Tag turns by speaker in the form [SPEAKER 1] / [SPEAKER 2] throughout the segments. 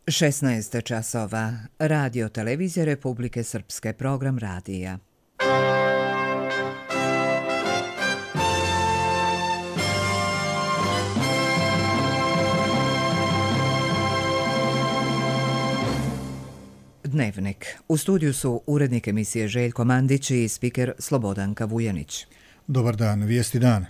[SPEAKER 1] 16 časova. Radio Televizije Republike Srpske, program radija. Dnevnik. U studiju su urednik emisije Željko Mandić i spiker Slobodanka Vujanić.
[SPEAKER 2] Dobar dan, vijesti dana.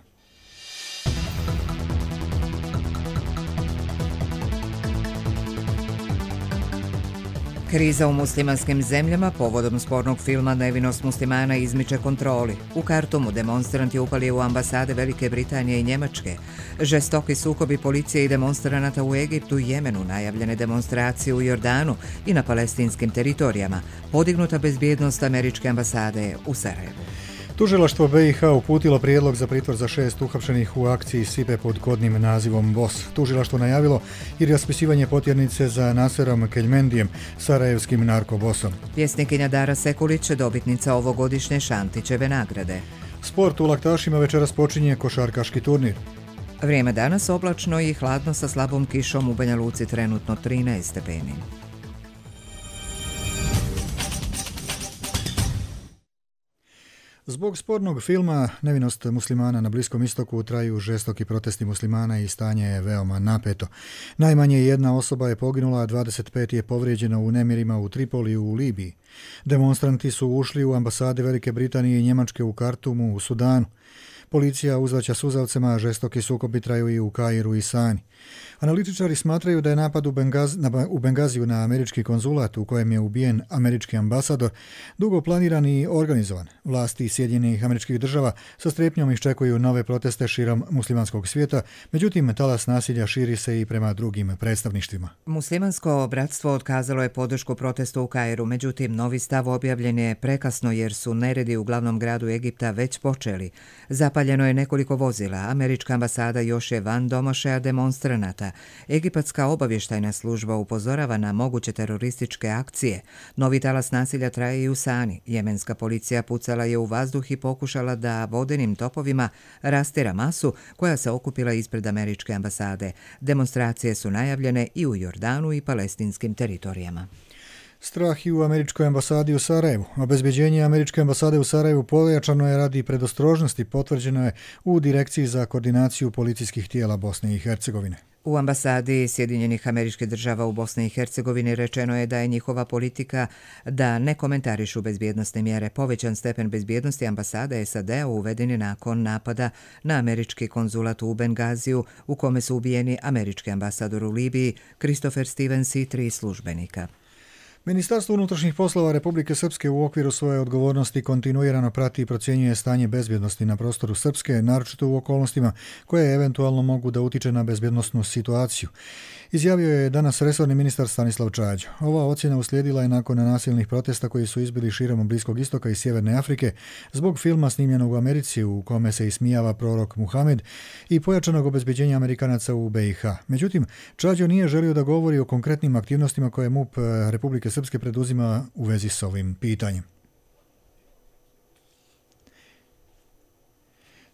[SPEAKER 1] Kriza u muslimanskim zemljama povodom spornog filma Nevinost muslimana izmiče kontroli. U Kartumu demonstranti upali u ambasade Velike Britanije i Njemačke. Žestoki sukobi policije i demonstranata u Egiptu i Jemenu, najavljene demonstracije u Jordanu i na palestinskim teritorijama, podignuta bezbjednost američke ambasade u Sarajevu.
[SPEAKER 2] Tužilaštvo BiH uputilo prijedlog za pritvor za 6 uhapšenih u akciji Sipe pod kodnim nazivom BOS. Tužilaštvo najavilo i raspisivanje potjernice za Naserom Keljmendijem, sarajevskim narkobosom.
[SPEAKER 1] Pjesnikinja Dara Sekulić, dobitnica ovogodišnje Šantićeve nagrade.
[SPEAKER 2] Sport u Laktašima večeras počinje košarkaški turnir.
[SPEAKER 1] Vrijeme danas oblačno i hladno sa slabom kišom, u Banja Luci trenutno 13 stepeni.
[SPEAKER 2] Zbog spornog filma Nevinost muslimana na Bliskom istoku traju žestoki protesti muslimana i stanje je veoma napeto. Najmanje jedna osoba je poginula, a 25 je povrijeđeno u nemirima u Tripoliju u Libiji. Demonstranti su ušli u ambasade Velike Britanije i Njemačke u Kartumu u Sudanu. Policija uzvraća suzavcema, a žestoki sukobi traju i u Kairu i Sani. Analitičari smatraju da je napad u Bengaziju na američki konzulat u kojem je ubijen američki ambasador dugo planiran i organizovan. Vlasti Sjedinjenih Američkih Država sa strepnjom iščekuju nove proteste širom muslimanskog svijeta, međutim talas nasilja širi se i prema drugim predstavništvima.
[SPEAKER 1] Muslimansko bratstvo otkazalo je podršku protestu u Kairu, međutim novi stav objavljen je prekasno jer su neredi u glavnom gradu Egipta već počeli. Zapaljeno je nekoliko vozila, američka ambasada još je van domašaja demonstranata. Egipatska obavještajna služba upozorava na moguće terorističke akcije. Novi talas nasilja traje i u Sani. Jemenska policija pucala je u vazduh i pokušala da vodenim topovima rastjera masu koja se okupila ispred američke ambasade. Demonstracije su najavljene i u Jordanu i palestinskim teritorijama.
[SPEAKER 2] Strah i u američkoj ambasadi u Sarajevu. Obezbeđenje američke ambasade u Sarajevu pojačano je radi predostrožnosti, potvrđeno je u Direkciji za koordinaciju policijskih tijela Bosne i Hercegovine.
[SPEAKER 1] U ambasadi Sjedinjenih Američkih Država u Bosni i Hercegovini rečeno je da je njihova politika da ne komentarišu bezbjednosne mjere. Povećan stepen bezbjednosti ambasade SAD-a uveden je nakon napada na američki konzulat u Bengaziju, u kome su ubijeni američki ambasador u Libiji, Christopher Stevens i 3 službenika.
[SPEAKER 2] Ministarstvo unutrašnjih poslova Republike Srpske u okviru svoje odgovornosti kontinuirano prati i procjenjuje stanje bezbjednosti na prostoru Srpske, naročito u okolnostima koje eventualno mogu da utiče na bezbjednosnu situaciju. Izjavio je danas resorni ministar Stanislav Čađo. Ova ocjena uslijedila je nakon nasilnih protesta koji su izbili širom Bliskog istoka i Sjeverne Afrike zbog filma snimljenog u Americi u kome se ismijava prorok Muhamed i pojačanog obezbeđenja Amerikanaca u BiH. Međutim, Čađo nije želio da govori o konkretnim aktivnostima koje MUP Republike Srpske preduzima u vezi s ovim pitanjem.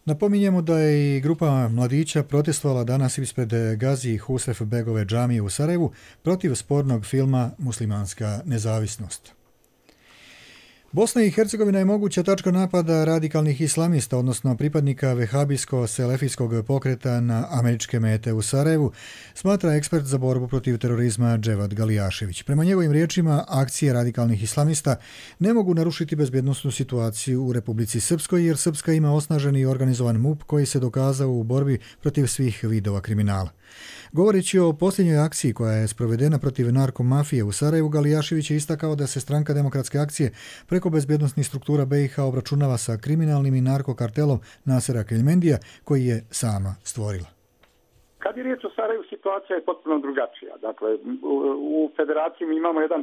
[SPEAKER 2] Napominjemo da je i grupa mladića protestovala danas ispred Gazi Husref Begove džamije u Sarajevu protiv spornog filma Muslimanska nezavisnost. Bosna i Hercegovina je moguća tačka napada radikalnih islamista, odnosno pripadnika vehabijsko-selefijskog pokreta na američke mete u Sarajevu, smatra ekspert za borbu protiv terorizma Dževad Galijašević. Prema njegovim riječima, akcije radikalnih islamista ne mogu narušiti bezbjednosnu situaciju u Republici Srpskoj, jer Srpska ima osnažen i organizovan MUP koji se dokazao u borbi protiv svih vidova kriminala. Govoreći o posljednjoj akciji koja je sprovedena protiv narkomafije u Sarajevu, Galijašević je istakao da se Stranka demokratske akcije preko bezbjednosnih struktura BiH obračunava sa kriminalnim i narkokartelom Nasera Keljmendija koji je sama stvorila.
[SPEAKER 3] Kad je riječ o Sarajevu, situacija je potpuno drugačija. Dakle, u federaciji mi imamo jedan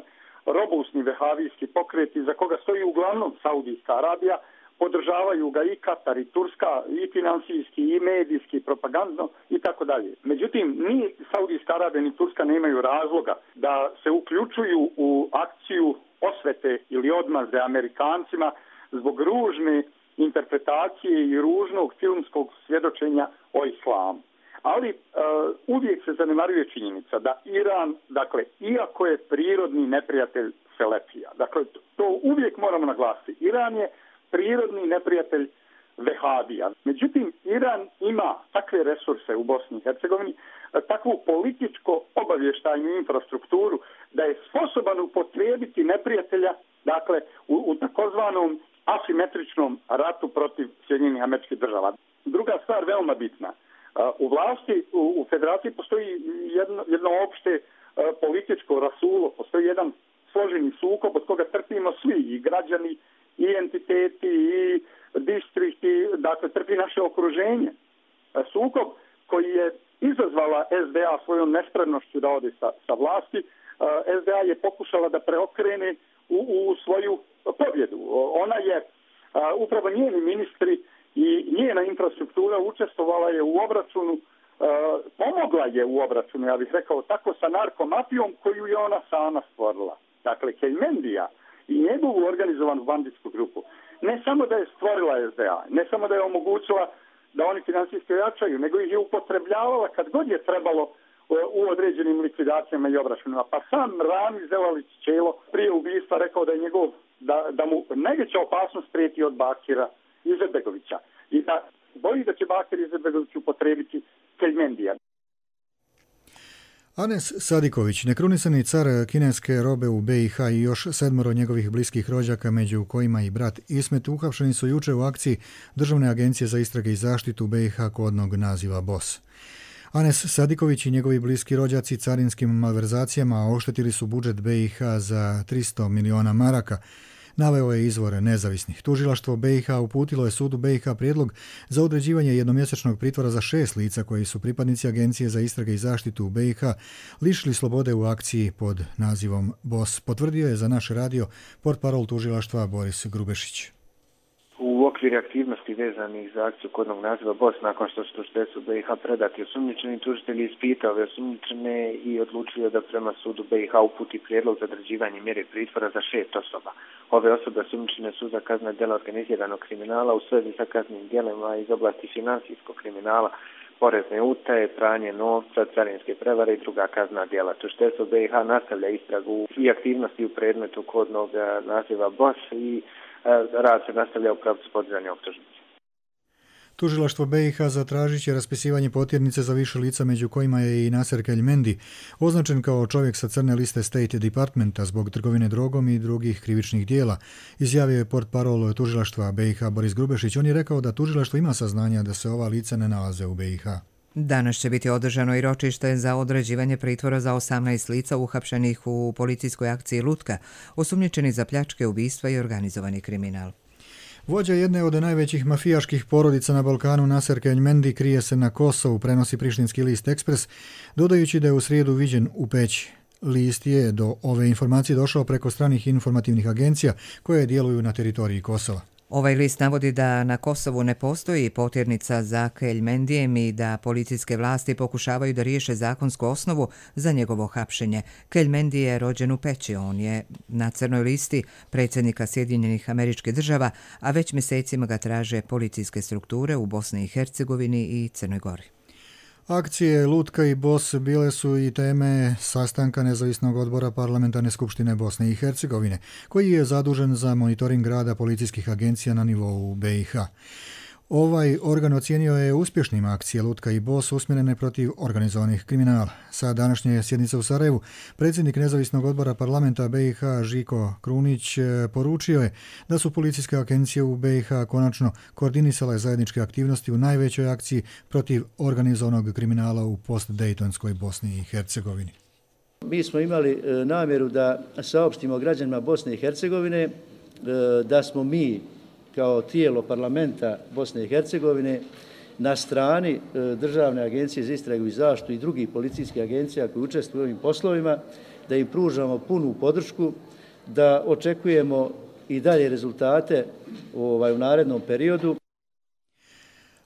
[SPEAKER 3] robustni vehavijski pokret iza koga stoji uglavnom Saudijska Arabija, podržavaju ga i Katar i Turska i finansijski i medijski, propagandno i tako dalje. Međutim, ni Saudijska Arabija ni Turska nemaju razloga da se uključuju u akciju osvete ili odmazde Amerikancima zbog ružne interpretacije i ružnog filmskog svjedočenja o islamu. Ali uvijek se zanemaruje činjenica da Iran, dakle, iako je prirodni neprijatelj Selefija, dakle, to uvijek moramo naglasiti, Iran je prirodni neprijatelj Vehabija. Međutim, Iran ima takve resurse u Bosni i Hercegovini, takvu političko-obavještajnu infrastrukturu, da je sposoban upotrijebiti neprijatelja, dakle, u takozvanom asimetričnom ratu protiv Sjedinjenih Američkih Država. Druga stvar, veoma bitna. U vlasti, u federaciji postoji jedno opšte političko rasulo, postoji jedan složeni sukob od koga trpimo svi, i građani, i entiteti, i distrikti, dakle trpi naše okruženje. Sukob koji je izazvala SDA svojom nespremnošću da ode sa vlasti, SDA je pokušala da preokrene u svoju pobjedu. Ona je, upravo njeni ministri i njena infrastruktura učestvovala je u obračunu, pomogla je u obračunu, ja bih rekao tako, sa narkomafijom koju je ona sama stvorila. Dakle, Kelmendija i njegovu organizovanu banditsku grupu ne samo da je stvorila SDA, ne samo da je omogućila da oni finansijski jačaju, nego ih je upotrebljavala kad god je trebalo u određenim likvidacijama i obračunima. Pa sam Ramiz Zelalić Čelo prije ubistva rekao da je da mu najveća opasnost prijeti od Bakira Izetbegovića i da boji da će Bakir Izetbegović upotrebiti Kelmendija.
[SPEAKER 2] Anes Sadiković, nekrunisani car kineske robe u BiH i još 7 njegovih bliskih rođaka, među kojima i brat Ismet, uhapšeni su jučer u akciji Državne agencije za istrage i zaštitu BiH kodnog naziva BOS. Anes Sadiković i njegovi bliski rođaci carinskim malverzacijama oštetili su budžet BiH za 300 miliona maraka, naveo je izvor nezavisnih. Tužilaštvo BiH uputilo je sudu BiH prijedlog za određivanje jednomjesečnog pritvora za 6 lica koji su pripadnici Agencije za istrage i zaštitu u BiH lišili slobode u akciji pod nazivom BOS. Potvrdio je za naš radio portparol tužilaštva Boris Grubešić.
[SPEAKER 4] U okviru aktivnosti vezanih za akciju kodnog naziva BOS, nakon što su tužiteljstvu BiH predati osumnjičeni, tužitelj je ispitao ove osumnjičene i odlučio da prema sudu BiH uputi prijedlog za određivanje mjere pritvora za 6 osoba. Ove osobe osumnjičene su za kaznena djela organiziranog kriminala u svezi sa kaznenim djelima iz oblasti financijskog kriminala, porezne utaje, pranje novca, carinske prevare i druga kaznena djela. Tužiteljstvo BiH nastavlja istragu i aktivnosti u predmetu kodnog naziva BOS i rad se nastavlja u pravcu podizanja optužnice.
[SPEAKER 2] Tužilaštvo BiH zatražit će raspisivanje potjernice za više lica, među kojima je i Naser Kelmendi, označen kao čovjek sa crne liste State Departmenta zbog trgovine drogom i drugih krivičnih dijela, izjavio je portparol tužilaštva BiH Boris Grubešić. On je rekao da tužilaštvo ima saznanja da se ova lica ne nalaze u BiH.
[SPEAKER 1] Danas će biti održano i ročište za određivanje pritvora za 18 lica uhapšenih u policijskoj akciji Lutka, osumnjičeni za pljačke, ubistva i organizovani kriminal.
[SPEAKER 2] Vođa jedne od najvećih mafijaških porodica na Balkanu, Naser Kelmendi, krije se na Kosovu, prenosi prištinski list Ekspres, dodajući da je u srijedu viđen u Peći. List je do ove informacije došao preko stranih informativnih agencija koje djeluju na teritoriji Kosova.
[SPEAKER 1] Ovaj list navodi da na Kosovu ne postoji potjernica za Kelmendijem i da policijske vlasti pokušavaju da riješe zakonsku osnovu za njegovo hapšenje. Kelmendi je rođen u Peći, on je na crnoj listi predsjednika Sjedinjenih Američkih Država, a već mjesecima ga traže policijske strukture u Bosni i Hercegovini i Crnoj Gori.
[SPEAKER 2] Akcije Lutka i BOS bile su i teme sastanka Nezavisnog odbora Parlamentarne skupštine Bosne i Hercegovine, koji je zadužen za monitoring rada policijskih agencija na nivou BiH. Ovaj organ ocijenio je uspješnim akcije Lutka i BOS usmjerene protiv organizovanih kriminala. Sa današnje sjednice u Sarajevu predsjednik Nezavisnog odbora parlamenta BiH Žiko Krunić poručio je da su policijske agencije u BiH konačno koordinisale zajedničke aktivnosti u najvećoj akciji protiv organizovanog kriminala u post-Dejtonskoj Bosni i Hercegovini.
[SPEAKER 5] Mi smo imali namjeru da saopštimo građanima Bosne i Hercegovine da smo mi kao tijelo parlamenta Bosne i Hercegovine na strani Državne agencije za istragu i zaštitu i drugih policijskih agencija koji učestvuju u ovim poslovima, da im pružamo punu podršku, da očekujemo i dalje rezultate u narednom periodu.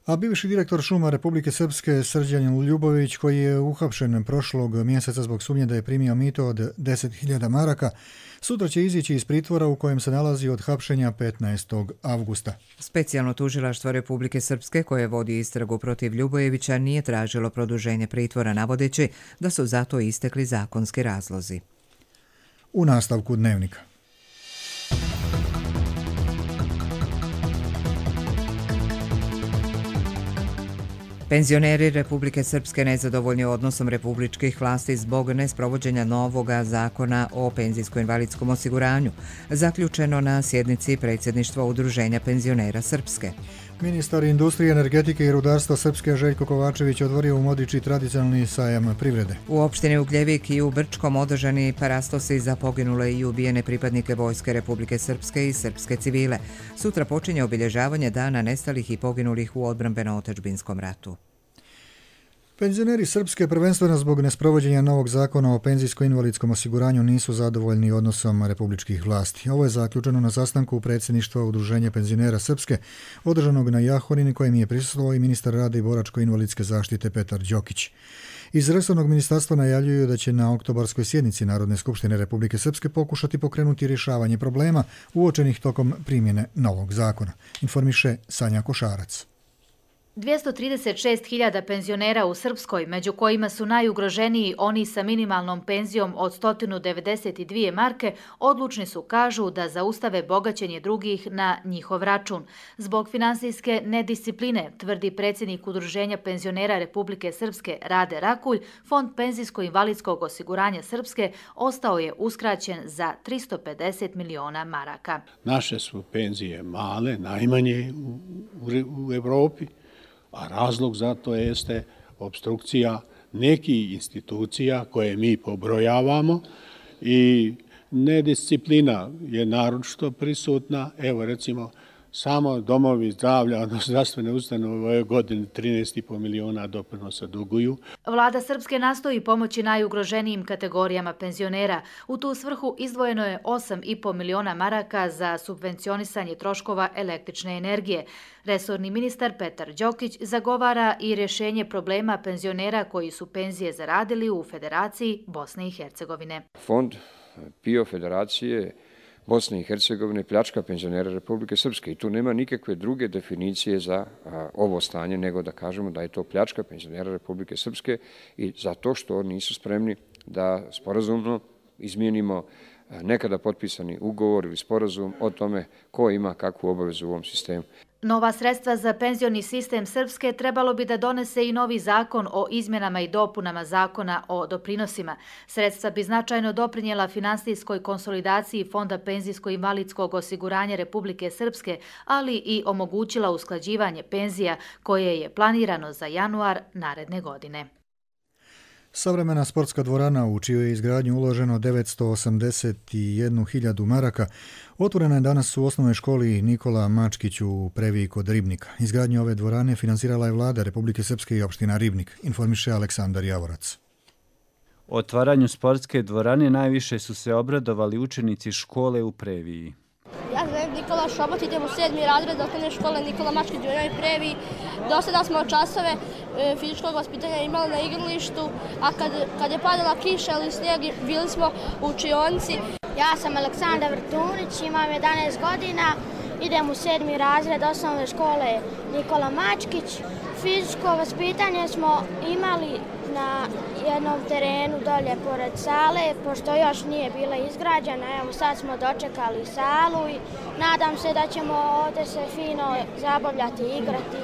[SPEAKER 2] A bivši direktor šuma Republike Srpske Srđan Ljubović, koji je uhapšen prošlog mjeseca zbog sumnje da je primio mito od 10.000 maraka, sutra će izići iz pritvora u kojem se nalazi od hapšenja 15. avgusta.
[SPEAKER 1] Specijalno tužilaštvo Republike Srpske, koje vodi istragu protiv Ljubojevića, nije tražilo produženje pritvora, navodeći da su zato istekli zakonski razlozi.
[SPEAKER 2] U nastavku dnevnika.
[SPEAKER 1] Penzioneri Republike Srpske nezadovoljni odnosom republičkih vlasti zbog nesprovođenja novoga zakona o penzijsko-invalidskom osiguranju, zaključeno na sjednici predsjedništva Udruženja penzionera Srpske.
[SPEAKER 2] Ministar industrije, energetike i rudarstva Srpske Željko Kovačević otvorio u Modiči tradicionalni sajam privrede.
[SPEAKER 1] U opštini Ugljevik i u Brčkom održani parastosi za poginule i ubijene pripadnike Vojske Republike Srpske i srpske civile. Sutra počinje obilježavanje dana nestalih i poginulih u odbrambeno-otadžbinskom ratu.
[SPEAKER 2] Penzioneri Srpske prvenstveno zbog nesprovođenja novog zakona o penzijsko-invalidskom osiguranju nisu zadovoljni odnosom republičkih vlasti. Ovo je zaključeno na sastanku predsjedništva Udruženja penzionera Srpske, održanog na Jahorini, kojem je prisustvovao i ministar rada i boračko-invalidske zaštite Petar Đokić. Iz resornog ministarstva najavljuju da će na oktobarskoj sjednici Narodne skupštine Republike Srpske pokušati pokrenuti rješavanje problema uočenih tokom primjene novog zakona, informiše Sanja Košarac.
[SPEAKER 6] 236.000 penzionera u Srpskoj, među kojima su najugroženiji oni sa minimalnom penzijom od 192 marke, odlučni su, kažu, da zaustave bogaćenje drugih na njihov račun. Zbog finansijske nediscipline, tvrdi predsjednik Udruženja penzionera Republike Srpske Rade Rakulj, Fond penzijsko-invalidskog osiguranja Srpske ostao je uskraćen za 350 miliona maraka.
[SPEAKER 7] Naše su penzije male, najmanje u Evropi, a razlog za to jeste obstrukcija nekih institucija koje mi pobrojavamo i nedisciplina je naročito prisutna. Evo recimo samo domovi zdravlja, odnosno zdravstvene ustanove u ovoj godini 13,5 miliona doprinosa duguju.
[SPEAKER 6] Vlada Srpske nastoji pomoći najugroženijim kategorijama penzionera. U tu svrhu izdvojeno je 8,5 miliona maraka za subvencionisanje troškova električne energije. Resorni ministar Petar Đokić zagovara i rješenje problema penzionera koji su penzije zaradili u Federaciji Bosne i Hercegovine.
[SPEAKER 8] Fond PIO Federacije Bosne i Hercegovine pljačka penzionera Republike Srpske i tu nema nikakve druge definicije za ovo stanje nego da kažemo da je to pljačka penzionera Republike Srpske i zato što nisu spremni da sporazumno izmijenimo nekada potpisani ugovor ili sporazum o tome ko ima kakvu obavezu u ovom sistemu.
[SPEAKER 6] Nova sredstva za penzioni sistem Srpske trebalo bi da donese i novi zakon o izmjenama i dopunama zakona o doprinosima. Sredstva bi značajno doprinijela finansijskoj konsolidaciji Fonda penzijsko-invalidskog osiguranja Republike Srpske, ali i omogućila usklađivanje penzija koje je planirano za januar naredne godine.
[SPEAKER 2] Savremena sportska dvorana u čijoj je izgradnju uloženo 981.000 maraka otvorena je danas u osnovnoj školi Nikola Mačkić u Previji kod Ribnika. Izgradnju ove dvorane finansirala je vlada Republike Srpske i opština Ribnik, informiše Aleksandar Javorac.
[SPEAKER 9] Otvaranju sportske dvorane najviše su se obradovali učenici škole u Previji.
[SPEAKER 10] Ja sam Nikola Šobot, idem u 7. razred osnovne škole Nikola Mačkić u Previji. Do sada smo časove fizičkog vaspitanja imali na igralištu, a kad je padala kiša ili snijeg, bili smo u učionici.
[SPEAKER 11] Ja sam Aleksandar Vrtunić, imam 11 godina, idem u 7. razred osnovne škole Nikola Mačkić. Fizičko vaspitanje smo imali na jednom terenu dolje pored sale, pošto još nije bila izgrađena. Evo sad smo dočekali salu i nadam se da ćemo ovdje se fino zabavljati i igrati.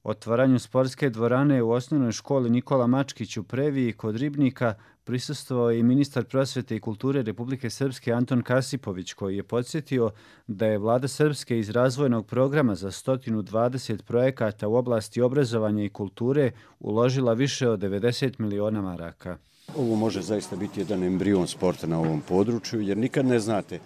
[SPEAKER 9] Otvaranju sportske dvorane u osnovnoj školi Nikola Mačkić u Previji kod Ribnika prisustvovao je i ministar prosvete i kulture Republike Srpske Anton Kasipović, koji je podsjetio da je vlada Srpske iz razvojnog programa za 120 projekata u oblasti obrazovanja i kulture uložila više od 90 miliona maraka.
[SPEAKER 12] Ovo može zaista biti jedan embrion sporta na ovom području, jer nikad ne znate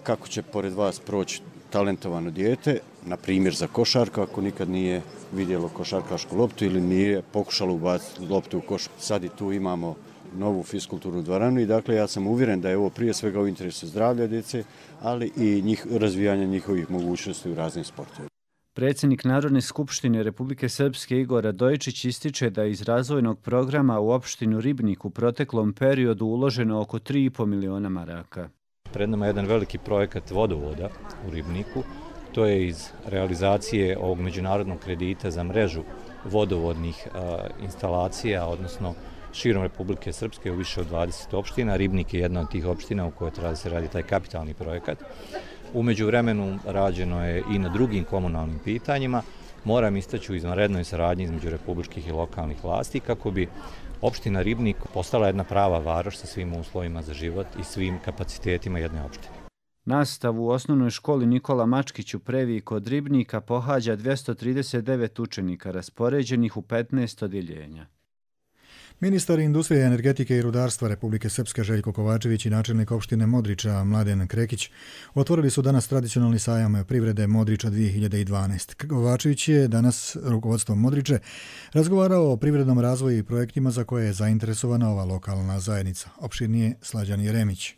[SPEAKER 12] kako će pored vas proći talentovano dijete, na primjer za košarku, ako nikad nije vidjelo košarkašku loptu ili nije pokušalo ubaciti loptu u koš. Sad i tu imamo novu fiskulturnu dvoranu i dakle ja sam uvjeren da je ovo prije svega u interesu zdravlja djece, ali i razvijanja njihovih mogućnosti u raznim sportovima.
[SPEAKER 9] Predsjednik Narodne skupštine Republike Srpske Igor Radojičić ističe da iz razvojnog programa u opštinu Ribnik u proteklom periodu uloženo oko 3,5 miliona maraka.
[SPEAKER 13] Pred nama je jedan veliki projekat vodovoda u Ribniku. To je iz realizacije ovog međunarodnog kredita za mrežu vodovodnih instalacija, odnosno širom Republike Srpske u više od 20 opština. Ribnik je jedna od tih opština u kojoj treba da se radi taj kapitalni projekat. U međuvremenu rađeno je i na drugim komunalnim pitanjima. Moram istaći u izvanrednoj saradnji između republičkih i lokalnih vlasti kako bi opština Ribnik postala jedna prava varoš sa svim uslovima za život i svim kapacitetima jedne opštine.
[SPEAKER 9] Nastavu u osnovnoj školi Nikola Mačkić u Previji kod Ribnika pohađa 239 učenika raspoređenih u 15 odjeljenja.
[SPEAKER 2] Ministar industrije, energetike i rudarstva Republike Srpske Željko Kovačević i načelnik opštine Modriča Mladen Krekić otvorili su danas tradicionalni sajam privrede Modriča 2012. Kovačević je danas rukovodstvom Modriče razgovarao o privrednom razvoju i projektima za koje je zainteresovana ova lokalna zajednica. Opširnije Slađan Jeremić.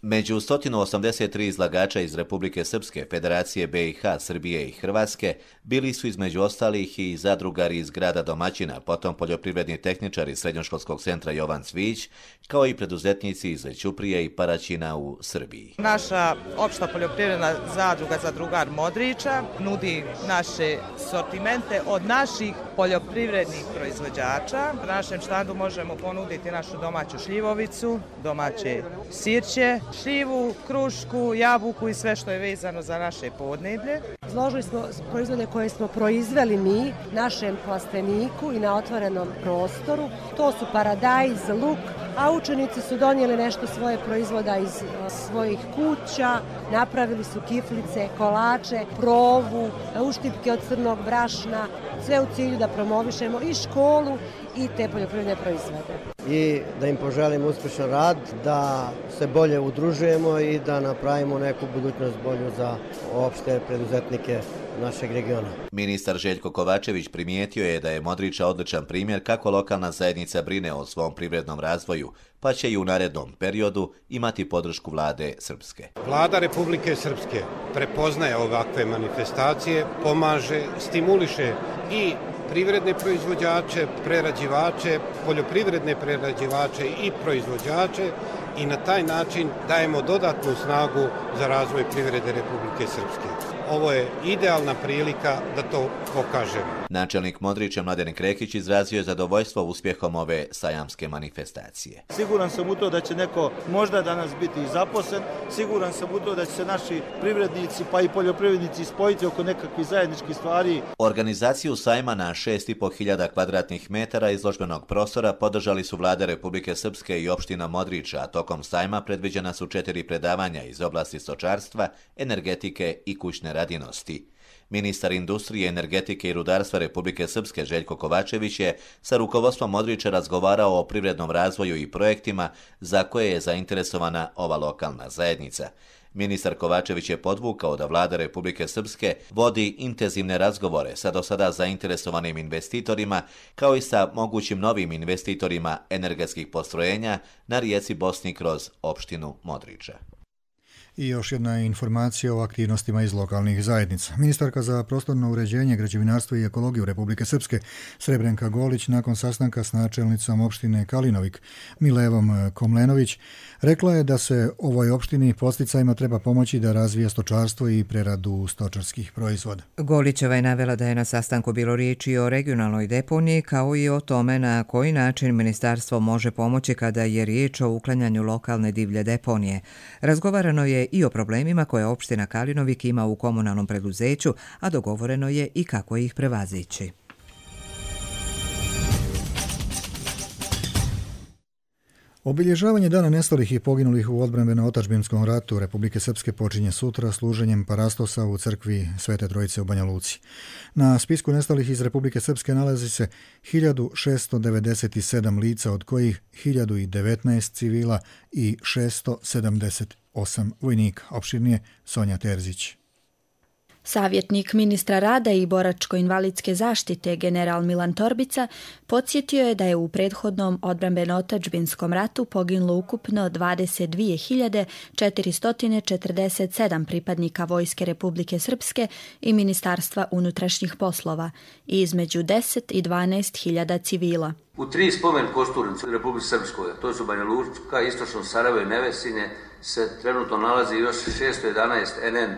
[SPEAKER 14] Među 183 izlagača iz Republike Srpske, Federacije BiH, Srbije i Hrvatske bili su između ostalih i zadrugari iz grada domaćina, potom poljoprivredni tehničari Srednjoškolskog centra Jovan Cvić, kao i preduzetnici iz Ćuprije i Paraćina u Srbiji.
[SPEAKER 15] Naša opšta poljoprivredna zadruga Zadrugar Modriča nudi naše sortimente od naših poljoprivrednih proizvođača. Na našem štandu možemo ponuditi našu domaću šljivovicu, domaće sirće, šljivu, krušku, jabuku i sve što je vezano za naše podneblje.
[SPEAKER 16] Izložili smo proizvode koje smo proizveli mi našem plasteniku i na otvorenom prostoru. To su paradajz, luk, a učenici su donijeli nešto svoje proizvoda iz svojih kuća, napravili su kiflice, kolače, provu, uštipke od crnog brašna, sve u cilju da promovišemo i školu i te poljoprivredne proizvode.
[SPEAKER 17] I da im poželim uspješan rad, da se bolje udružujemo i da napravimo neku budućnost bolju za opšte preduzetnike našeg regiona.
[SPEAKER 14] Ministar Željko Kovačević primijetio je da je Modriča odličan primjer kako lokalna zajednica brine o svom privrednom razvoju, pa će i u narednom periodu imati podršku vlade Srpske.
[SPEAKER 18] Vlada Republike Srpske prepoznaje ovakve manifestacije, pomaže, stimuliše i privredne proizvođače, prerađivače, poljoprivredne prerađivače i proizvođače i na taj način dajemo dodatnu snagu za razvoj privrede Republike Srpske. Ovo je idealna prilika da to pokažemo.
[SPEAKER 14] Načelnik Modriča Mladen Krekić izrazio je zadovoljstvo uspjehom ove sajamske manifestacije.
[SPEAKER 19] Siguran sam u to da će neko možda danas biti i zaposlen, siguran sam u to da će se naši privrednici pa i poljoprivrednici spojiti oko nekakvih zajedničkih stvari.
[SPEAKER 14] Organizaciju sajma na 6.500 kvadratnih metara izložbenog prostora podržali su vlade Republike Srpske i opština Modriča, a tokom sajma predviđena su 4 predavanja iz oblasti stočarstva, energetike i kućne radinosti. Ministar industrije, energetike i rudarstva Republike Srpske Željko Kovačević je sa rukovodstvom Modriča razgovarao o privrednom razvoju i projektima za koje je zainteresovana ova lokalna zajednica. Ministar Kovačević je podvukao da vlada Republike Srpske vodi intenzivne razgovore sa do sada zainteresovanim investitorima, kao i sa mogućim novim investitorima energetskih postrojenja na rijeci Bosni kroz opštinu Modriča.
[SPEAKER 2] I još jedna informacija o aktivnostima iz lokalnih zajednica. Ministarka za prostorno uređenje, građevinarstvo i ekologiju Republike Srpske Srebrenka Golić nakon sastanka s načelnicom opštine Kalinovik Milevom Komlenović rekla je da se ovoj opštini podsticajima treba pomoći da razvija stočarstvo i preradu stočarskih proizvoda.
[SPEAKER 1] Golićeva je navela da je na sastanku bilo riječi o regionalnoj deponiji kao i o tome na koji način ministarstvo može pomoći kada je riječ o uklanjanju lokalne divlje deponije. Razgovarano je i o problemima koje opština Kalinovik ima u komunalnom preduzeću, a dogovoreno je i kako ih prevazići.
[SPEAKER 2] Obilježavanje Dana nestalih i poginulih u odbrambeno-otadžbinskom ratu Republike Srpske počinje sutra služenjem parastosa u crkvi Svete Trojice u Banja Luci. Na spisku nestalih iz Republike Srpske nalazi se 1697 lica, od kojih 1019 civila i 678 vojnika. Opširnije Sonja Terzić.
[SPEAKER 20] Savjetnik ministra rada i boračko-invalidske zaštite general Milan Torbica podsjetio je da je u prethodnom odbrambeno-otadžbinskom ratu poginulo ukupno 22.447 pripadnika Vojske Republike Srpske i Ministarstva unutrašnjih poslova i između 10 i 12.000 civila.
[SPEAKER 21] U 3 spomen kosturnice u Republike Srpskoj, to su Banja Luka, Istočno Sarajevo i Nevesinje, se trenutno nalazi još 611 NN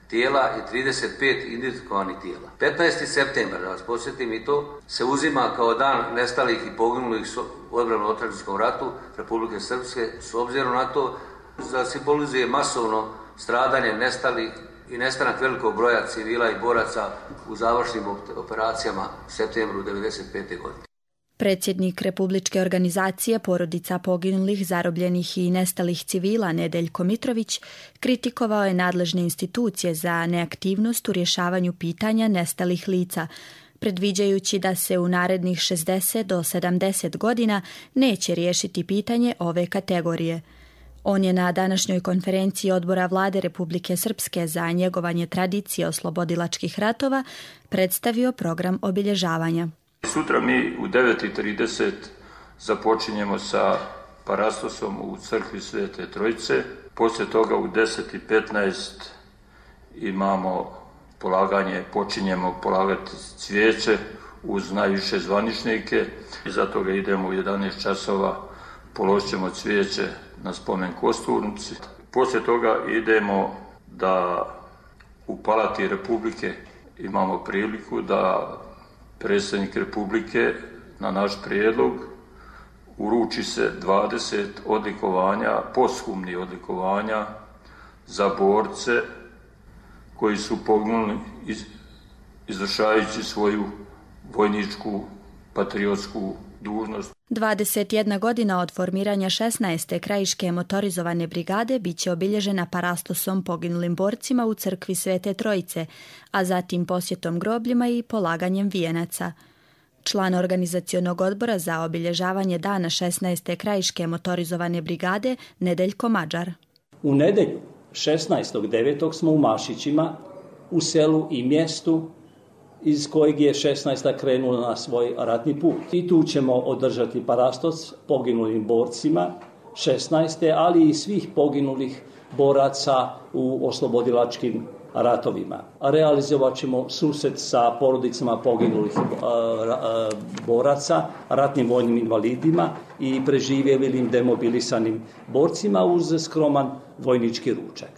[SPEAKER 21] tijela i 35 identifikovanih tijela. 15. septembar, da vas podsjetim i to, se uzima kao dan nestalih i poginulih u odbrambeno-otadžbinskom ratu Republike Srpske, s obzirom na to da simbolizuje masovno stradanje nestalih i nestanak velikog broja civila i boraca u završnim operacijama u septembru 1995. godine.
[SPEAKER 20] Predsjednik Republičke organizacije porodica poginulih, zarobljenih i nestalih civila Nedeljko Mitrović kritikovao je nadležne institucije za neaktivnost u rješavanju pitanja nestalih lica, predviđajući da se u narednih 60 do 70 godina neće riješiti pitanje ove kategorije. On je na današnjoj konferenciji Odbora Vlade Republike Srpske za njegovanje tradicije oslobodilačkih ratova predstavio program obilježavanja.
[SPEAKER 22] Sutra mi u 9:30 započinjemo sa parastosom u crkvi Svete Trojice. Poslije toga u 10:15 imamo počinjemo polagati cvijeće uz najviše zvaničnike. Iza toga idemo u 11 časova, položit ćemo cvijeće na spomen kosturnici. Poslije toga idemo da u Palati Republike imamo priliku da predsjednik Republike na naš prijedlog uruči se 20 odlikovanja, posthumnih odlikovanja za borce koji su poginuli izvršavajući svoju vojničku patriotsku dužnost.
[SPEAKER 20] 21 godina od formiranja 16. krajiške motorizovane brigade biće obilježena parastosom poginulim borcima u crkvi Svete Trojice, a zatim posjetom grobljima i polaganjem vijenaca. Član organizacionog odbora za obilježavanje dana 16. krajiške motorizovane brigade Nedeljko Mađar.
[SPEAKER 23] U nedelju 16.9. smo u Mašićima, u selu i mjestu iz kojeg je 16. krenula na svoj ratni put. I tu ćemo održati parastos poginulim borcima 16. ali i svih poginulih boraca u oslobodilačkim ratovima. Realizovat ćemo susret sa porodicama poginulih boraca, ratnim vojnim invalidima i preživjelim demobilisanim borcima uz skroman vojnički ručak.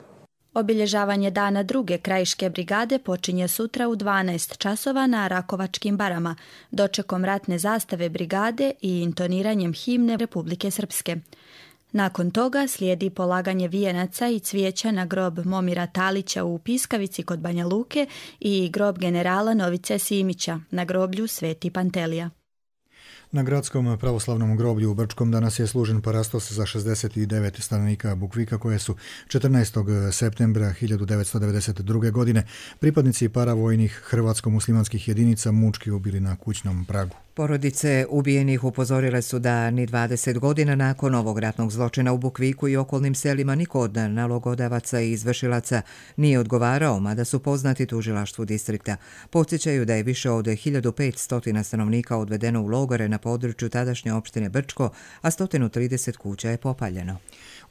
[SPEAKER 20] Obilježavanje dana druge krajiške brigade počinje sutra u 12 časova na Rakovačkim barama, dočekom ratne zastave brigade i intoniranjem himne Republike Srpske. Nakon toga slijedi polaganje vijenaca i cvijeća na grob Momira Talića u Piskavici kod Banja Luke i grob generala Novice Simića na groblju Sveti Pantelija.
[SPEAKER 2] Na gradskom pravoslavnom groblju u Brčkom danas je služen parastos za 69 stanovnika Bukvika koje su 14. septembra 1992. godine pripadnici paravojnih hrvatsko-muslimanskih jedinica mučki ubili na kućnom pragu.
[SPEAKER 1] Porodice ubijenih upozorile su da ni 20 godina nakon ovog ratnog zločina u Bukviku i okolnim selima niko od nalogodavaca i izvršilaca nije odgovarao, mada su poznati tužilaštvu distrikta. Podsjećaju da je više od 1500 stanovnika odvedeno u logore na području tadašnje opštine Brčko, a 130 kuća je popaljeno.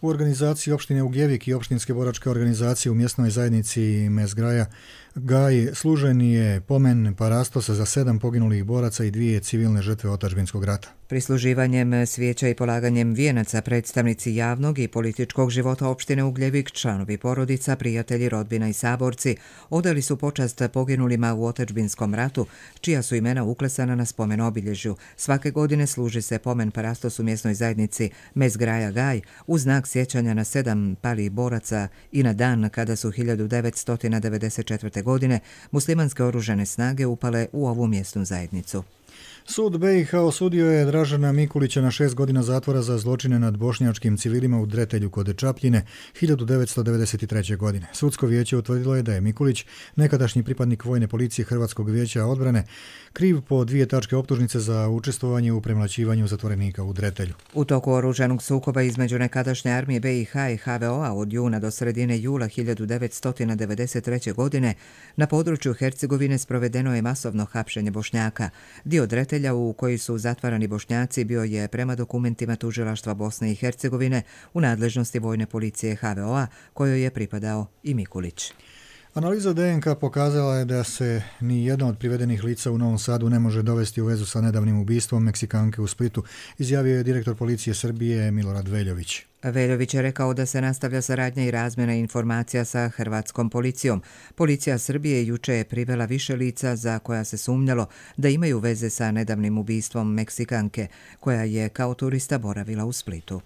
[SPEAKER 2] U organizaciji opštine Ugljevik i opštinske boračke organizacije u mjesnoj zajednici Mezgraja Gaj služen je pomen parastosa za 7 poginulih boraca i 2 civilne žrtve otadžbinskog rata.
[SPEAKER 1] Prisluživanjem svijeća i polaganjem vijenaca predstavnici javnog i političkog života opštine Ugljevik, članovi porodica, prijatelji, rodbina i saborci odali su počast poginulima u otadžbinskom ratu, čija su imena uklesana na spomen obilježju. Svake godine služi se pomen parastos u mjesnoj zajednici Mezgraja Gaj u znak sjećanja na 7 palih boraca i na dan kada su 1994. godine muslimanske oružane snage upale u ovu mjesnu zajednicu.
[SPEAKER 2] Sud BiH osudio je Dražana Mikulića na 6 godina zatvora za zločine nad bošnjačkim civilima u Dretelju kod Čapljine 1993. godine. Sudsko vijeće utvrdilo je da je Mikulić, nekadašnji pripadnik vojne policije Hrvatskog vijeća odbrane, kriv po 2 tačke optužnice za učestvovanje u premlaćivanju zatvorenika u Dretelju.
[SPEAKER 1] U toku oružanog sukoba između nekadašnje armije BiH i HVO-a od juna do sredine jula 1993. godine na području Hercegovine sprovedeno je masovno hapšenje Bošnjaka. Dio Dretelja u koji su zatvarani Bošnjaci bio je prema dokumentima tužilaštva Bosne i Hercegovine u nadležnosti vojne policije HVO-a kojoj je pripadao i Mikulić.
[SPEAKER 2] Analiza DNK pokazala je da se ni jedno od privedenih lica u Novom Sadu ne može dovesti u vezu sa nedavnim ubistvom Meksikanke u Splitu, izjavio je direktor policije Srbije Milorad Veljović.
[SPEAKER 1] Veljović je rekao da se nastavlja saradnja i razmjena informacija sa hrvatskom policijom. Policija Srbije juče je privela više lica za koja se sumnjalo da imaju veze sa nedavnim ubistvom Meksikanke, koja je kao turista boravila u Splitu.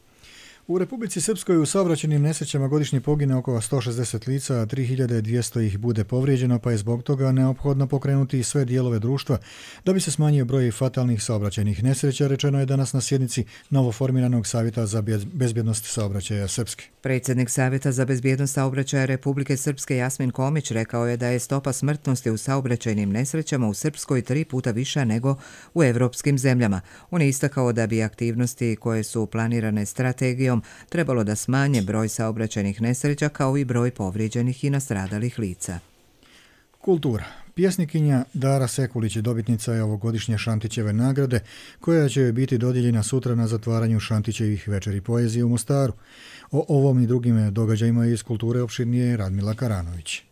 [SPEAKER 2] U Republici Srpskoj u saobraćajnim nesrećama godišnje pogine oko 160 lica, a 3200 ih bude povrijeđeno, pa je zbog toga neophodno pokrenuti sve dijelove društva da bi se smanjio broj fatalnih saobraćajnih nesreća, rečeno je danas na sjednici novoformiranog Savjeta za bezbjednost saobraćaja Srpske.
[SPEAKER 1] Predsjednik Savjeta za bezbjednost saobraćaja Republike Srpske Jasmin Komić rekao je da je stopa smrtnosti u saobraćajnim nesrećama u Srpskoj 3 puta viša nego u evropskim zemljama. On je istakao da bi aktivnosti koje su planirane strategijom trebalo da smanje broj saobraćajnih nesreća kao i broj povrijeđenih i nastradalih lica.
[SPEAKER 2] Kultura. Pjesnikinja Dara Sekulić dobitnica je ovogodišnje Šantićeve nagrade, koja će joj biti dodijeljena sutra na zatvaranju Šantićevih večeri poezije u Mostaru. O ovom i drugim događajima iz kulture opširnije Radmila Karanović.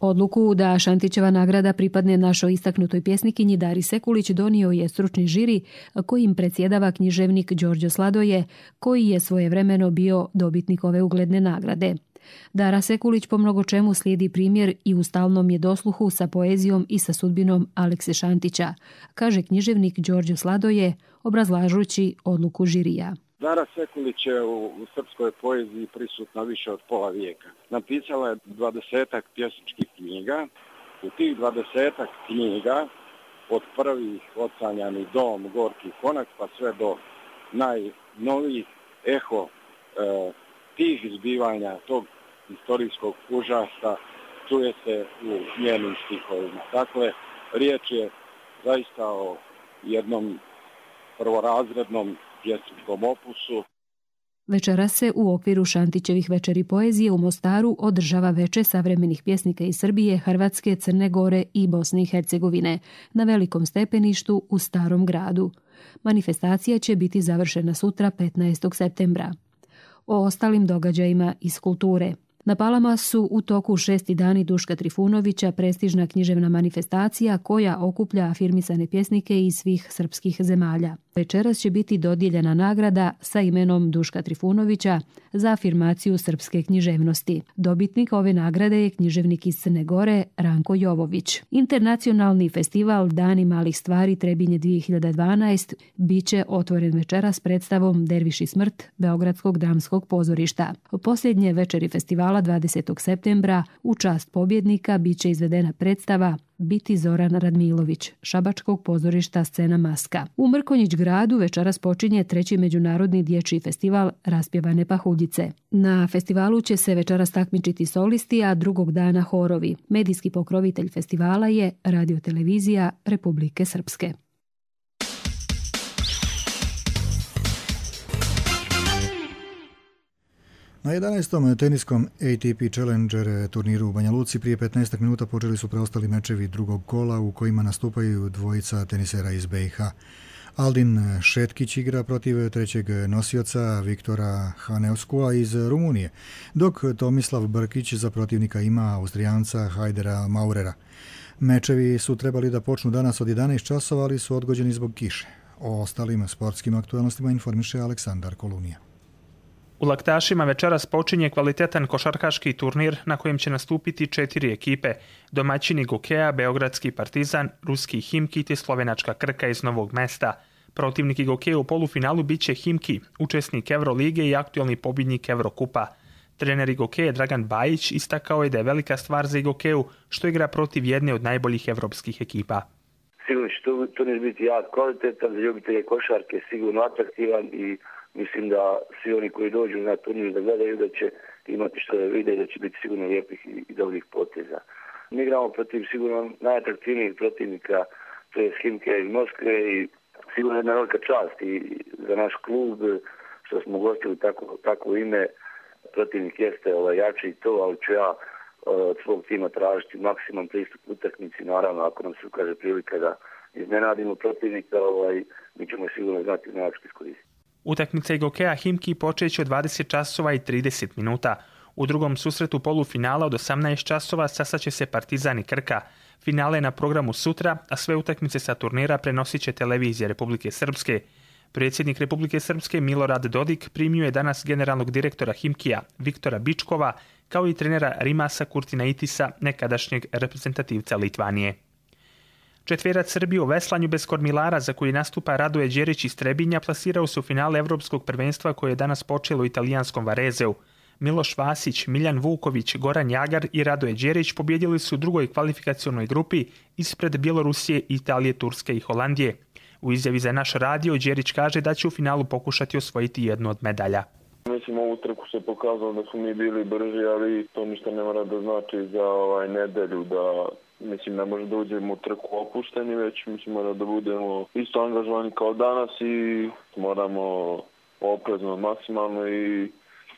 [SPEAKER 3] Odluku da Šantićeva nagrada pripadne našoj istaknutoj pjesnikinji Dari Sekulić donio je stručni žiri kojim predsjedava književnik Đorđo Sladoje, koji je svojevremeno bio dobitnik ove ugledne nagrade. Dara Sekulić po mnogo čemu slijedi primjer i u stalnom je dosluhu sa poezijom i sa sudbinom Alekse Šantića, kaže književnik Đorđo Sladoje, obrazlažući odluku žirija.
[SPEAKER 4] Dara Sekulić je u srpskoj poeziji prisutna više od pola vijeka. Napisala je 20-ak pjesničkih knjiga. U tih 20-ak knjiga, od prvih Ocanjani dom, Gorki konak, pa sve do najnovijih eho tih zbivanja, tog historijskog užasa, čuje se u njenim stihovima. Dakle, riječ je zaista o jednom prvorazrednom pjesničkom opusu.
[SPEAKER 3] Večeras se u okviru Šantićevih večeri poezije u Mostaru održava veče savremenih pjesnika iz Srbije, Hrvatske, Crne Gore i Bosne i Hercegovine na velikom stepeništu u Starom gradu. Manifestacija će biti završena sutra 15. septembra. O ostalim događajima iz kulture. Na Palama su u toku 6. dani Duška Trifunovića prestižna književna manifestacija koja okuplja afirmisane pjesnike iz svih srpskih zemalja. Večeras će biti dodijeljena nagrada sa imenom Duška Trifunovića za afirmaciju srpske književnosti. Dobitnik ove nagrade je književnik iz Crne Gore Ranko Jovović. Internacionalni festival Dani malih stvari Trebinje 2012 biće otvoren večeras predstavom Derviš i smrt Beogradskog dramskog pozorišta. Posljednje večeri festivala 20. septembra u čast pobjednika biće izvedena predstava Biti Zoran Radmilović, Šabačkog pozorišta Scena Maska. U Mrkonjić gradu večeras počinje 3. međunarodni dječji festival Raspjevane pahuljice. Na festivalu će se večeras takmičiti solisti, a drugog dana horovi. Medijski pokrovitelj festivala je Radiotelevizija Republike Srpske.
[SPEAKER 2] Na 11. teniskom ATP Challenger turniru u Banja Luci prije 15 minuta počeli su preostali mečevi drugog kola u kojima nastupaju dvojica tenisera iz BiH. Aldin Šetkić igra protiv trećeg nosioca Viktora Haneuskua iz Rumunije, dok Tomislav Brkić za protivnika ima Austrijanca Hajdera Maurera. Mečevi su trebali da počnu danas od 11 časova, ali su odgođeni zbog kiše. O ostalim sportskim aktualnostima informiše Aleksandar Kolunija.
[SPEAKER 5] U Laktašima večeras počinje kvalitetan košarkaški turnir na kojem će nastupiti 4 ekipe. Domaćini Gokeja, Beogradski Partizan, Ruski Himki te slovenačka Krka iz Novog Mesta. Protivnik Gokeja u polufinalu biće Himki, učesnik Evrolige i aktualni pobjednik Evrokupa. Trener Gokeja Dragan Bajić istakao je da je velika stvar za Gokeju što igra protiv jedne od najboljih evropskih ekipa.
[SPEAKER 6] sigurno će turnir biti jak kvalitetan, za ljubitelje košarke sigurno atraktivan i mislim da svi oni koji dođu na turnir da gledaju da će imati što da vide i da će biti sigurno lijepih i dobrih poteza. Mi igramo protiv sigurno najatraktivnijih protivnika, to je Himki iz Moskve i sigurno jedna velika čast i za naš klub što smo gostili tako ime. Protivnik jeste jači i to, ali ću ja od svog tima tražiti maksimum pristup utakmici. Naravno, ako nam se ukaže prilika da iznenadimo protivnika, mi ćemo sigurno znati način iskoristiti.
[SPEAKER 5] Utakmica Gokeja Himki počeće od 20 časova i 30 minuta. U drugom susretu polufinala od 18 časova sastaće se Partizan i Krka. Finale je na programu sutra, a sve utakmice sa turnira prenosit će televizija Republike Srpske. Predsjednik Republike Srpske Milorad Dodik primio je danas generalnog direktora Himkija Viktora Bičkova, kao i trenera Rimasa Kurtinaitisa, nekadašnjeg reprezentativca Litvanije. Četverac Srbije u veslanju bez kormilara za koji nastupa Radoje Đerić iz Trebinja plasirao se u finale Evropskog prvenstva koje je danas počelo u italijanskom Varezeu. Miloš Vasić, Miljan Vuković, Goran Jagar i Radoje Đerić pobjedili su u drugoj kvalifikacionoj grupi ispred Bjelorusije, Italije, Turske i Holandije. U izjavi za naš radio Đerić kaže da će u finalu pokušati osvojiti jednu od medalja.
[SPEAKER 7] Mislim, ovu trku se pokazalo da smo mi bili brži, ali to ništa ne mora da znači za nedelju, da mislim ne može da uđemo u trku opušteni, već mislim mora da budemo isto angažovani kao danas i moramo oprezno maksimalno i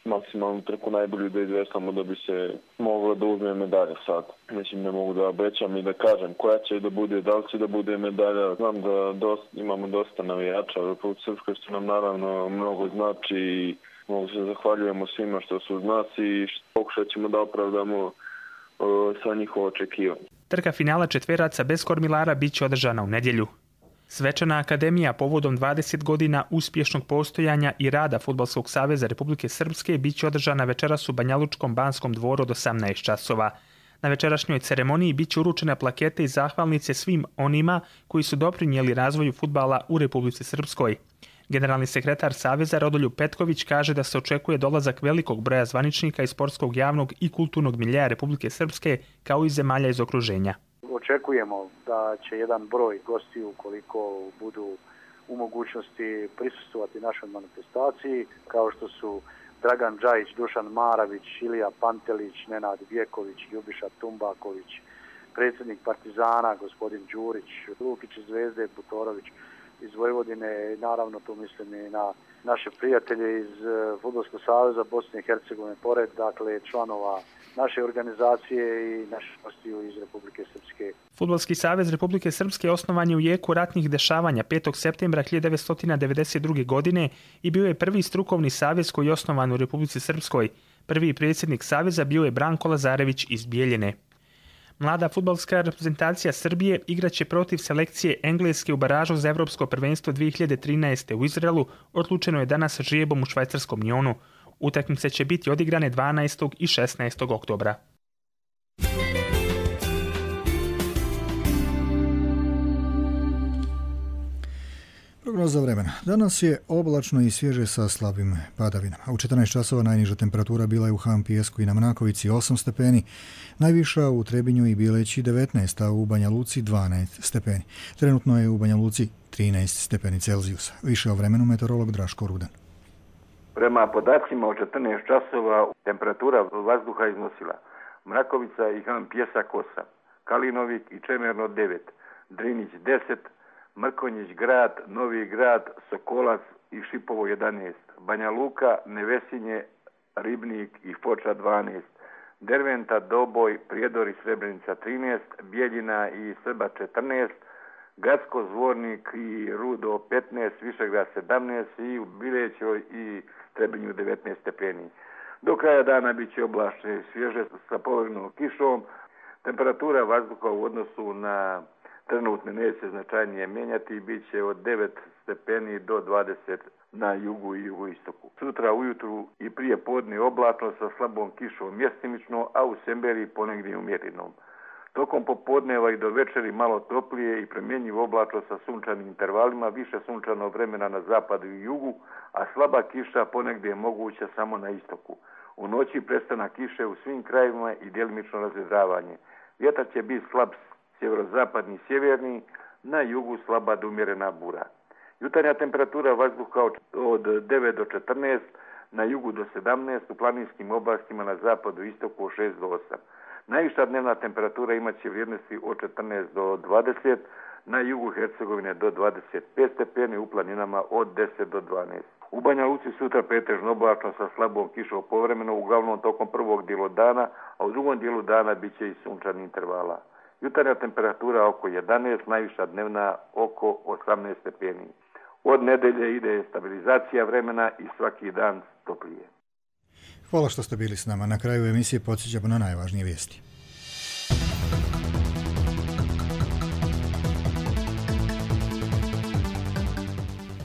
[SPEAKER 7] maksimalnu trku najbolju da izvestamo da bi se moglo da uzme medalja sad. Mislim, ne mogu da obećam i da kažem koja će da bude, da li će da bude medalja. Znam da imamo dosta navijača u Republici Srpskoj, što nam naravno mnogo znači i mnogo se zahvaljujemo svima što su uz nas i pokušat ćemo da opravdamo sva njihova očekivanja.
[SPEAKER 5] Trka finala četveraca bez kormilara bit će održana u nedjelju. Svečana akademija povodom 20 godina uspješnog postojanja i rada Fudbalskog saveza Republike Srpske bit će održana večeras u Banjalučkom Banskom dvoru od 18 časova. Na večerašnjoj ceremoniji bit će uručene plakete i zahvalnice svim onima koji su doprinijeli razvoju fudbala u Republici Srpskoj. Generalni sekretar Saveza Rodoljub Petković kaže da se očekuje dolazak velikog broja zvaničnika iz sportskog, javnog i kulturnog miljeja Republike Srpske kao i zemalja iz okruženja.
[SPEAKER 8] Očekujemo da će jedan broj gostiju, ukoliko budu u mogućnosti prisustvovati našoj manifestaciji, kao što su Dragan Džajić, Dušan Maravić, Ilija Pantelić, Nenad Vjeković, Ljubiša Tumbaković, predsjednik Partizana, gospodin Đurić, Lukić iz Zvezde, Butorović iz Vojvodine, naravno tu mislim i na naše prijatelje iz Fudbalskog saveza Bosne i Hercegovine, pored članova naše organizacije i naših gostiju iz Republike Srpske.
[SPEAKER 5] Fudbalski savez Republike Srpske osnovan je u jeku ratnih dešavanja 5. septembra 1992. godine i bio je prvi strukovni savez koji je osnovan u Republici Srpskoj. Prvi predsjednik saveza bio je Branko Lazarević iz Bijeljine. Mlada fudbalska reprezentacija Srbije igraće protiv selekcije Engleske u baražu za Evropsko prvenstvo 2013. u Izraelu, odlučeno je danas žrijebom u švajcarskom Njonu. Utakmice će biti odigrane 12. i 16. oktobra.
[SPEAKER 2] Prognoza vremena. Danas je oblačno i svježe sa slabim padavinama. U 14 časova najniža temperatura bila je u Han Pijesku i na Mnakovici 8 stepeni, najviša u Trebinju i Bileći 19, a u Banja Luci 12 stepeni. Trenutno je u Banja Luci 13 stepeni Celzijusa. Više o vremenu meteorolog Draško Rudan.
[SPEAKER 24] Prema podacima od 14 časova temperatura vazduha iznosila Mrakovica i Han Pijesak 8, Kalinovik i Čemerno 9, Drinić 10, Mrkonjić grad, Novi grad, Sokolac i Šipovo 11, Banja Luka, Nevesinje, Ribnik i Foča 12, Derventa, Doboj, Prijedor i Srebrenica 13, Bijeljina i Srba 14, Gacko, Zvornik i Rudo 15, Višegrad 17 i u Bilećoj i Trebinju 19 stepeni. Do kraja dana bit će oblačno i svježe sa površnom kišom. Temperatura vazduha u odnosu na trenutne neće značajnije mijenjati i bit će od 9 stepeni do 20 na jugu i jugoistoku. Sutra ujutru i prije podne oblačno sa slabom kišom mjestimično, a u Semberiji ponegdje umjerenom. Tokom popodneva i do večeri malo toplije i promjenjivo oblačno sa sunčanim intervalima, više sunčano vremena na zapadu i jugu, a slaba kiša ponegdje je moguća samo na istoku. U noći prestanak kiše u svim krajevima i djelimično razvedravanje. Vjetar će biti slab sjeverozapadni i sjeverni, na jugu slaba do umjerena bura. Jutarnja temperatura vazduha od 9 do 14, na jugu do 17, u planinskim oblastima na zapadu i istoku od 6 do 8. Najviša dnevna temperatura imaće vrijednosti od 14 do 20, na jugu Hercegovine do 25 stepeni, u planinama od 10 do 12. U Banja Luci sutra pretežno oblačno sa slabom kišom povremeno, uglavnom tokom prvog dijelu dana, a u drugom dijelu dana bit će i sunčani intervala. Jutarnja temperatura oko 11, najviša dnevna oko 18 stepeni. Od nedelje ide stabilizacija vremena i svaki dan toplije.
[SPEAKER 2] Hvala što ste bili s nama. Na kraju emisije podsjećamo na najvažnije vijesti.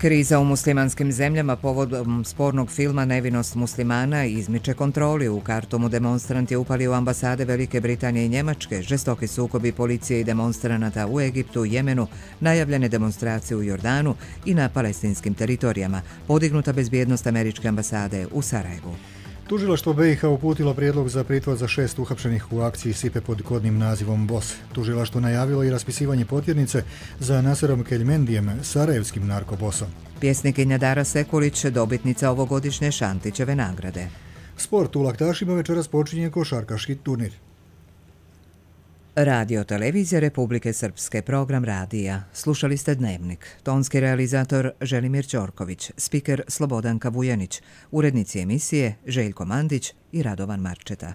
[SPEAKER 1] Kriza u muslimanskim zemljama povodom spornog filma Nevinost muslimana izmiče kontroli. U Kartumu demonstrant je upalio ambasade Velike Britanije i Njemačke, žestoki sukobi policije i demonstranata u Egiptu, Jemenu, najavljene demonstracije u Jordanu i na palestinskim teritorijama, podignuta bezbjednost američke ambasade u Sarajevu.
[SPEAKER 2] Tužilaštvo BiH uputilo prijedlog za pritvor za 6 uhapšenih u akciji Sipe pod kodnim nazivom BOS. Tužilaštvo najavilo i raspisivanje potjernice za Naserom Keljmendijem, sarajevskim narkobosom.
[SPEAKER 1] Pjesnikinja Dara Sekulić, dobitnica ovogodišnje Šantićeve nagrade.
[SPEAKER 2] Sport u Laktašima večeras počinje košarkaški turnir.
[SPEAKER 1] Radio Televizija Republike Srpske, program radija. Slušali ste Dnevnik. Tonski realizator Želimir Ćorković, spiker Slobodanka Vujanić, urednici emisije Željko Mandić i Radovan Marčeta.